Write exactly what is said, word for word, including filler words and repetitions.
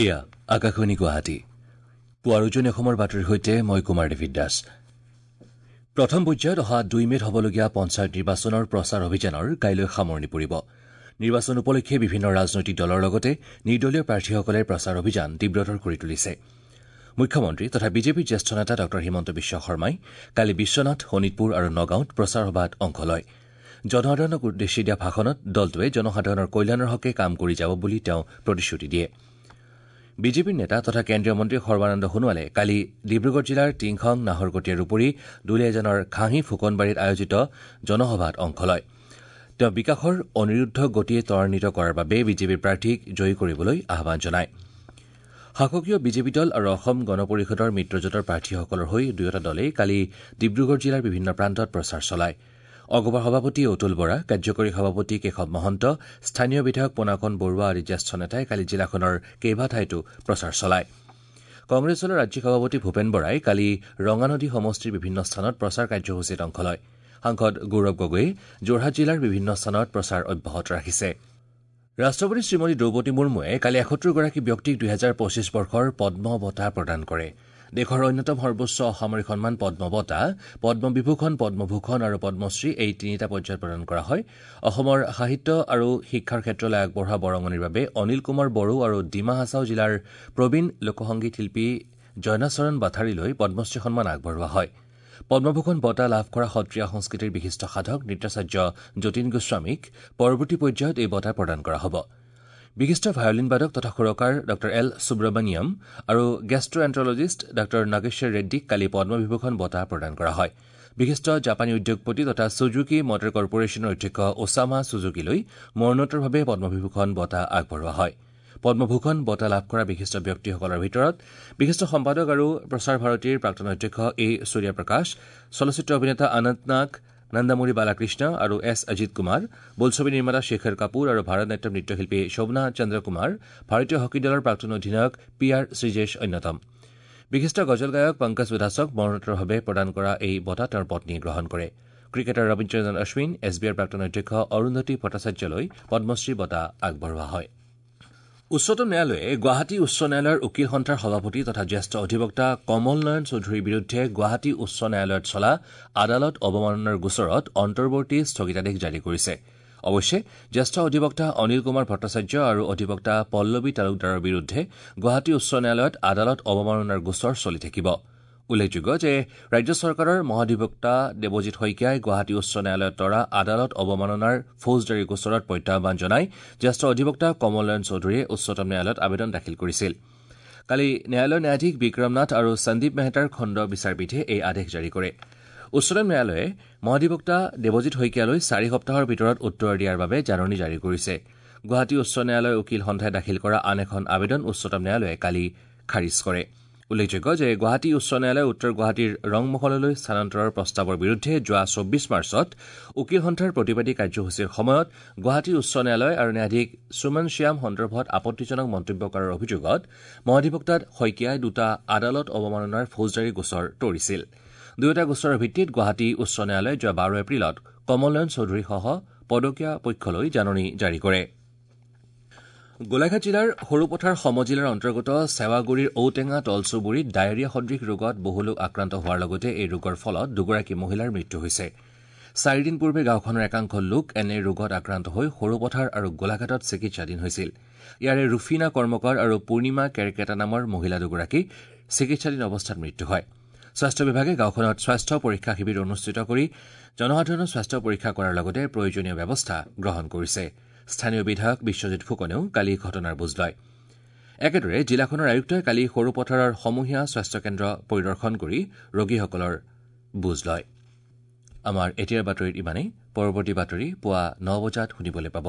এয়া আকাশবাণী গুৱাহাটী। পুৱাৰ উজনি অসমৰ বাতৰিৰ সৈতে মই কুমাৰ ডেভিড দাস। প্ৰথম পৰ্যায়ত অহা দুই মে'ত হ'বলগীয়া পঞ্চায়ত নিৰ্বাচনৰ প্ৰচাৰ অভিযানৰ কাইলৈ সামৰণি পৰিব। নিৰ্বাচন উপলক্ষে বিভিন্ন ৰাজনৈতিক দলৰ লগতে নিৰ্দলীয় প্ৰাৰ্থীসকলে প্ৰচাৰ অভিযান তীব্ৰতৰ কৰি তুলিছে। মুখ্যমন্ত্ৰী তথা বিজেপিৰ জ্যেষ্ঠ নেতা ডঃ হিমন্ত বিশ্ব শৰ্মাই কালি বিশ্বনাথ, শোণিতপুৰ আৰু নগাঁৱত প্ৰচাৰ সভাত অংশ লয়। জনসাধাৰণক উদ্দেশ্যি দিয়া ভাষণত দলটোৱে জনসাধাৰণৰ কল্যাণৰ হকে কাম কৰি যাব বুলি তেওঁ প্ৰতিশ্ৰুতি দিয়ে। বিজেপিৰ নেতা তথা কেন্দ্ৰীয় মন্ত্ৰী সৰ্বানন্দ সোণোৱালে কালি ডিব্ৰুগড় জিলাৰ টিংখং, নাহৰকটীয়াৰ উপৰি দুলীয়াজানৰ ঘাঁহী ফুকনবাৰীত আয়োজিত জনসভাত অংশ লয়। তেওঁ বিকাশৰ অনিৰুদ্ধ গতিয়ে ত্বৰান্বিত কৰাৰ বাবে বিজেপিৰ প্ৰাৰ্থীক জয়ী কৰিবলৈ আহ্বান জনায়। শাসকীয় বিজেপি দল আৰু অসম গণ পৰিষদৰ মিত্ৰজোঁটৰ প্ৰাৰ্থীসকলৰ হৈ দুয়োটা দলেই কালি ডিব্ৰুগড় জিলাৰ বিভিন্ন প্ৰান্তত প্ৰচাৰ চলায়। অগপৰ সভাপতি অতুল বৰা, কাৰ্যকৰী সভাপতি কেশৱ মহন্ত, স্থানীয় বিধায়ক পোনাকণ বৰুৱা আদি জ্যেষ্ঠ নেতাই কালি জিলাখনৰ কেইবাঠাইতো প্ৰচাৰ চলায়। কংগ্ৰেছ দলৰ ৰাজ্যিক সভাপতি ভূপেন বৰাই কালি ৰঙানদী সমষ্টিৰ বিভিন্ন স্থানত প্ৰচাৰ কাৰ্যসূচীত অংশ লয়। সাংসদ গৌৰৱ গগৈয়ে যোৰহাট জিলাৰ বিভিন্ন স্থানত প্ৰচাৰ অব্যাহত ৰাখিছে। ৰাষ্ট্ৰপতি শ্ৰীমতী দ্ৰৌপদী মুৰ্মুৱে কালি এসত্তৰগৰাকী ব্যক্তিক দুহেজাৰ পঁচিছ বৰ্ষৰ পদ্ম বঁটা প্ৰদান কৰে। দেশৰ অন্যতম সৰ্বোচ্চ অসামৰিক সন্মান পদ্ম বঁটা, পদ্মবিভূষণ, পদ্মভূষণ আৰু পদ্মশ্ৰী এই তিনিটা পৰ্যায়ত প্ৰদান কৰা হয়। অসমৰ সাহিত্য আৰু শিক্ষাৰ ক্ষেত্ৰলৈ আগবঢ়োৱা বৰঙণিৰ বাবে অনিল কুমাৰ বড়ো আৰু ডিমা হাছাও জিলাৰ প্ৰবীণ লোকসংগীত শিল্পী জয়নাচৰণ বাথাৰীলৈ পদ্মশ্ৰী সন্মান আগবঢ়োৱা হয়। পদ্মভূষণ বঁটা লাভ কৰা সত্ৰীয়া সংস্কৃতিৰ বিশিষ্ট সাধক নৃত্যাচাৰ্য যতীন গোস্বামীক পৰৱৰ্তী পৰ্যায়ত এই বঁটা প্ৰদান কৰা হ'ব। বিশিষ্ট ভায়লিন বাদক তথা সুৰকাৰ ডঃ এল সুব্ৰমণিয়ম আৰু গেষ্ট্ৰএণ্ট্ৰলজিষ্ট ডঃ নাগেশ্বৰ ৰেড্ডীক কালি পদ্মবিভূষণ বঁটা প্ৰদান কৰা হয়। বিশিষ্ট জাপানী উদ্যোগপতি তথা ছুজুকি মটৰ কৰ্পৰেশ্যনৰ অধ্যক্ষ ওছামা ছুজুকিলৈ মৰণোত্তৰভাৱে পদ্মবিভূষণ বঁটা আগবঢ়োৱা হয়। পদ্মভূষণ বঁটা লাভ কৰা বিশিষ্ট ব্যক্তিসকলৰ ভিতৰত বিশিষ্ট সম্পাদক আৰু প্ৰসাৰ ভাৰতীৰ প্ৰাক্তন অধ্যক্ষ এ সূৰ্যপ্ৰকাশ, চলচ্চিত্ৰ অভিনেতা অনন্ত নাগ, নন্দামুৰী বালাকৃষ্ণ আৰু এছ অজিত কুমাৰ, বোলছবি নিৰ্মাতা শেখৰ কাপুৰ আৰু ভাৰত নাট্যম নৃত্যশিল্পী শোভনা চন্দ্ৰকুমাৰ, ভাৰতীয় হকী দলৰ প্ৰাক্তন অধিনায়ক পি আৰ শ্ৰীজেশ অন্যতম। বিশিষ্ট গজল গায়ক পংকজ উধাছক মৰণোত্তৰভাৱে প্ৰদান কৰা এই বঁটা তেওঁৰ পত্নীয়ে গ্ৰহণ কৰে। Cricketer Rabindranath Ashwin, S B আইৰ প্ৰাক্তন অধ্যক্ষ অৰুন্ধতী ভট্টাচাৰ্যলৈ পদ্মশ্ৰী বঁটা আগবঢ়োৱা হয়। উচ্চতম ন্যায়ালয়ে গুৱাহাটী উচ্চ ন্যায়ালয়ৰ উকীল সন্থাৰ সভাপতি তথা জ্যেষ্ঠ অধিবক্তা কমল নয়ন চৌধুৰীৰ বিৰুদ্ধে গুৱাহাটী উচ্চ ন্যায়ালয়ত চলা আদালত অৱমাননাৰ গোচৰত অন্তৰ্বৰ্তী স্থগিতাদেশ জাৰি কৰিছে। অৱশ্যে জ্যেষ্ঠ অধিবক্তা অনিল কুমাৰ ভট্টাচাৰ্য আৰু অধিবক্তা পল্লৱী তালুকদাৰৰ বিৰুদ্ধে গুৱাহাটী উচ্চ ন্যায়ালয়ত আদালত অৱমাননাৰ গোচৰ চলি থাকিব। উল্লেখযোগ্য যে ৰাজ্য চৰকাৰৰ মহাধিবক্তা দেৱজিৎ শইকীয়াই গুৱাহাটী উচ্চ ন্যায়ালয়ত তৰা আদালত অৱমাননাৰ ফৌজদাৰী গোচৰত প্ৰত্যাহ্বান জনাই জ্যেষ্ঠ অধিবক্তা কমল নয়ন চৌধুৰীয়ে উচ্চতম ন্যায়ালয়ত আবেদন দাখিল কৰিছিল। কালি ন্যায়ালয়ৰ ন্যায়াধীশ বিক্ৰম নাথ আৰু সন্দীপ মেহতাৰ খণ্ড বিচাৰপীঠে এই আদেশ জাৰি কৰে। উচ্চতম ন্যায়ালয়ে মহাধিবক্তা দেৱজিৎ শইকীয়ালৈ চাৰি সপ্তাহৰ ভিতৰত উত্তৰ দিয়াৰ বাবে জাননী জাৰি কৰিছে। গুৱাহাটী উচ্চ ন্যায়ালয়ৰ উকীল সন্থাই দাখিল কৰা আন এখন আবেদন উচ্চতম ন্যায়ালয়ে কালি খাৰিজ কৰে। উল্লেখযোগ্য যে গুৱাহাটী উচ্চ ন্যায়ালয়ে উত্তৰ গুৱাহাটীৰ ৰংমহললৈ স্থানান্তৰৰ প্ৰস্তাৱৰ বিৰুদ্ধে যোৱা চৌব্বিছ মাৰ্চত উকীল সন্থাৰ প্ৰতিবাদী কাৰ্যসূচীৰ সময়ত গুৱাহাটী উচ্চ ন্যায়ালয় আৰু ন্যায়াধীশ সুমন শ্যাম সন্দৰ্ভত আপত্তিজনক মন্তব্য কৰাৰ অভিযোগত মহাধিবক্তা শইকীয়াই দুটা আদালত অৱমাননাৰ ফৌজদাৰী গোচৰ তৰিছিল। দুয়োটা গোচৰৰ ভিত্তিত গুৱাহাটী উচ্চ ন্যায়ালয়ে যোৱা বাৰ এপ্ৰিলত কমল নয়ন চৌধুৰীসহ পদকীয়া পক্ষলৈ জাননী জাৰি কৰে। গোলাঘাট জিলাৰ সৰুপথাৰ সমজিলাৰ অন্তৰ্গত সেৱাগুৰিৰ ঔটেঙা তলচুবুৰীত ডায়েৰিয়া সদৃশ ৰোগত বহু লোক আক্ৰান্ত হোৱাৰ লগতে এই ৰোগৰ ফলত দুগৰাকী মহিলাৰ মৃত্যু হৈছে। চাৰিদিন পূৰ্বে গাঁওখনৰ একাংশ লোক এনে ৰোগত আক্ৰান্ত হৈ সৰুপথাৰ আৰু গোলাঘাটত চিকিৎসাধীন হৈছিল। ইয়াৰে ৰুফিনা কৰ্মকাৰ আৰু পূৰ্ণিমা কেৰকেটা নামৰ মহিলা দুগৰাকী চিকিৎসাধীন অৱস্থাত মৃত্যু হয়। স্বাস্থ্য বিভাগে গাঁওখনত স্বাস্থ্য পৰীক্ষা শিবিৰ অনুষ্ঠিত কৰি জনসাধাৰণৰ স্বাস্থ্য পৰীক্ষা কৰাৰ লগতে প্ৰয়োজনীয় ব্যৱস্থা গ্ৰহণ কৰিছে। স্থানীয় বিধায়ক বিশ্বজিৎ ফুকনেও কালি ঘটনাৰ বুজ লয়। একেদৰে জিলাখনৰ আয়ুক্তই কালি সৰুপথাৰৰ সমূহীয়া স্বাস্থ্যকেন্দ্ৰ পৰিদৰ্শন কৰি ৰোগীসকলৰ বুজ লয়। আমাৰ এতিয়াৰ বাতৰিত ইমানেই। পৰৱৰ্তী বাতৰি পুৱা ন বজাত শুনিবলৈ পাব।